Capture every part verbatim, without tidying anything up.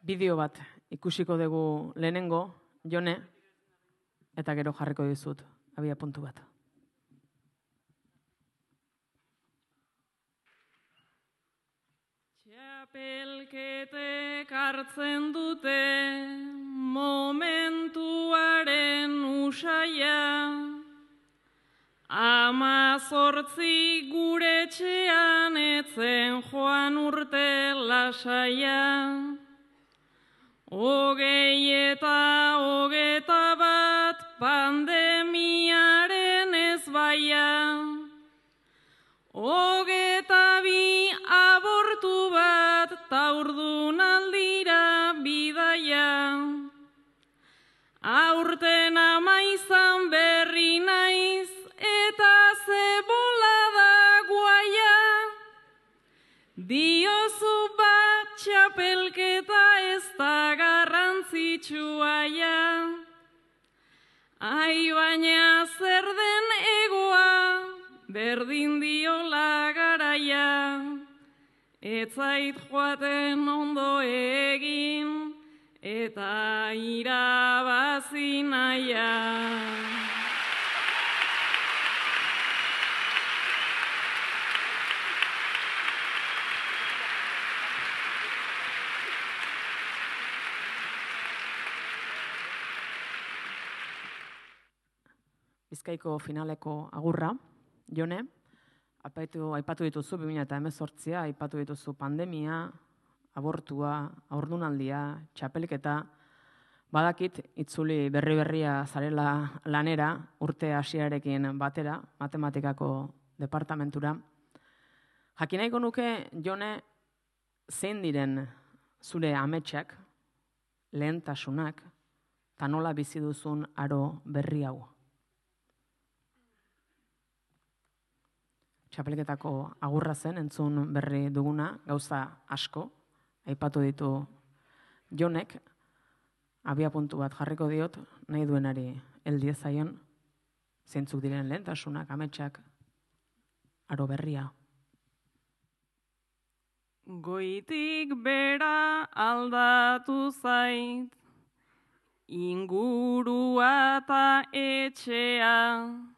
bideo bat ikusiko dugu lehenengo, Jone, eta gero jarriko dizut, abia puntu bat. Txapelketek hartzen dute momentuaren usaia, amazortzi gure etxean etzen joan urte lasaia, hogei eta hogeta bat pandemiaren ezbaia, hogeta bi abortu bat taurdun aldira bidaia, aurten ama izan berri naiz eta zebola da guaia, diozu bat txapelketa ez da garrantzitsuaia, ai baina zer den egoa, berdin diola garaia, ez zait joaten ondo egin, eta irabazi naia. Bizkaiko finaleko agurra, Jone, aipatu, aipatu dituzu bi mila hemezortzia, aipatu dituzu pandemia, abortua, haurdunaldia, txapelketa, badakit itzuli berri-berria zarela lanera, urte hasiarekin batera, matematikako departamentura. Jakin nahiko nuke, Jone, zein diren zure ametsak, lehentasunak, eta nola bizi duzun aro berri hau. Txapelketako agurra zen, entzun berri duguna, gauza asko, aipatu ditu Jonek, abia puntu bat jarriko diot, nahi duenari heldiezaion, zeintzuk diren lehentasunak, ametsak, aro berria. Goitik bera aldatu zait, ingurua eta etxea,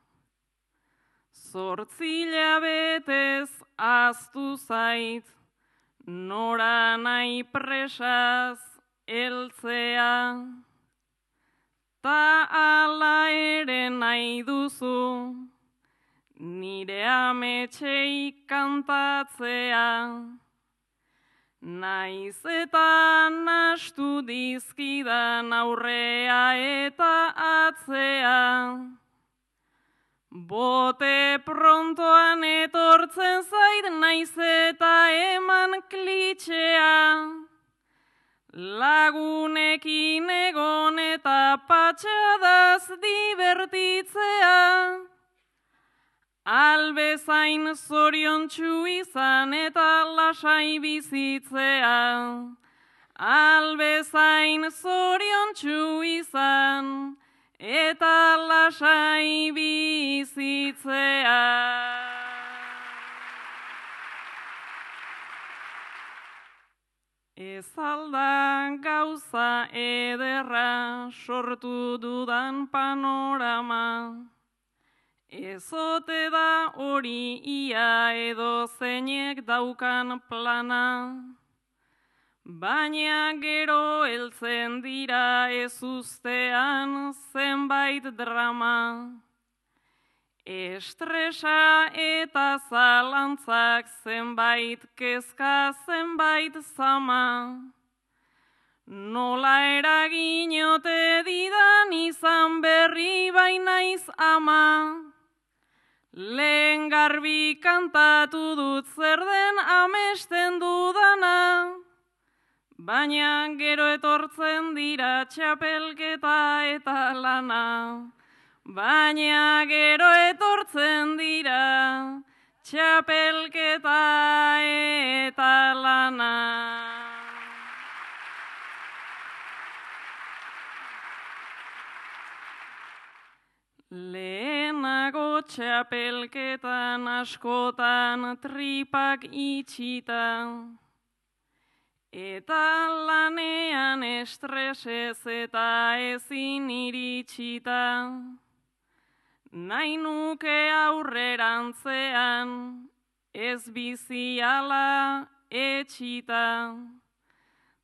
zortzila betez aztu zait, nora nahi presaz eltzea, ta ala ere nahi duzu, nire ametxei kantatzea, naiz eta nastu dizkidan aurrea eta atzea, bote prontoan etortzen zait naiz eta eman klitxea, lagunekin egon eta patxadaz divertitzea, albezain zoriontsu izan eta lasai bizitzea, albezain zoriontsu izan eta lasai bizitzea. Ez alda gauza ederra sortu dudan panorama, ez ote da hori ia edo zeinek daukan plana, baina gero heltzen dira ez ustean zenbait drama, estresa eta zalantzak zenbait kezka zenbait zama, nola eraginote didan izan berri bainaiz ama, lehen garbi kantatu dut zer den amesten dudana, baina gero etortzen dira txapelketa eta lana, baina gero etortzen dira txapelketa eta lana. Lehenago txapelketan askotan tripak itxita, eta lanean estresez eta ezin iritsita, nahi nuke aurrerantzean ez biziala etxita,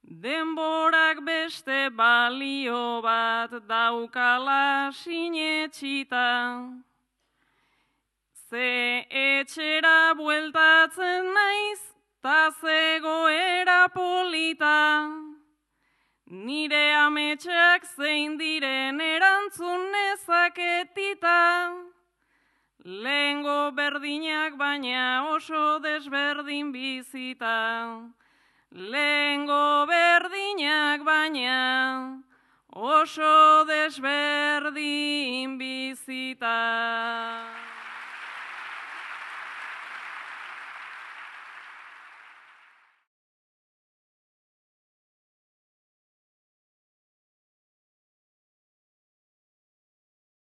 denborak beste balio bat daukala sinetxita, ze etxera bueltatzen naiz, ta zegoera polita, nire ametsak zein diren erantzun nezaketita, lehengo berdinak baina oso desberdin bizita, lehengo berdinak baina oso desberdin bizita.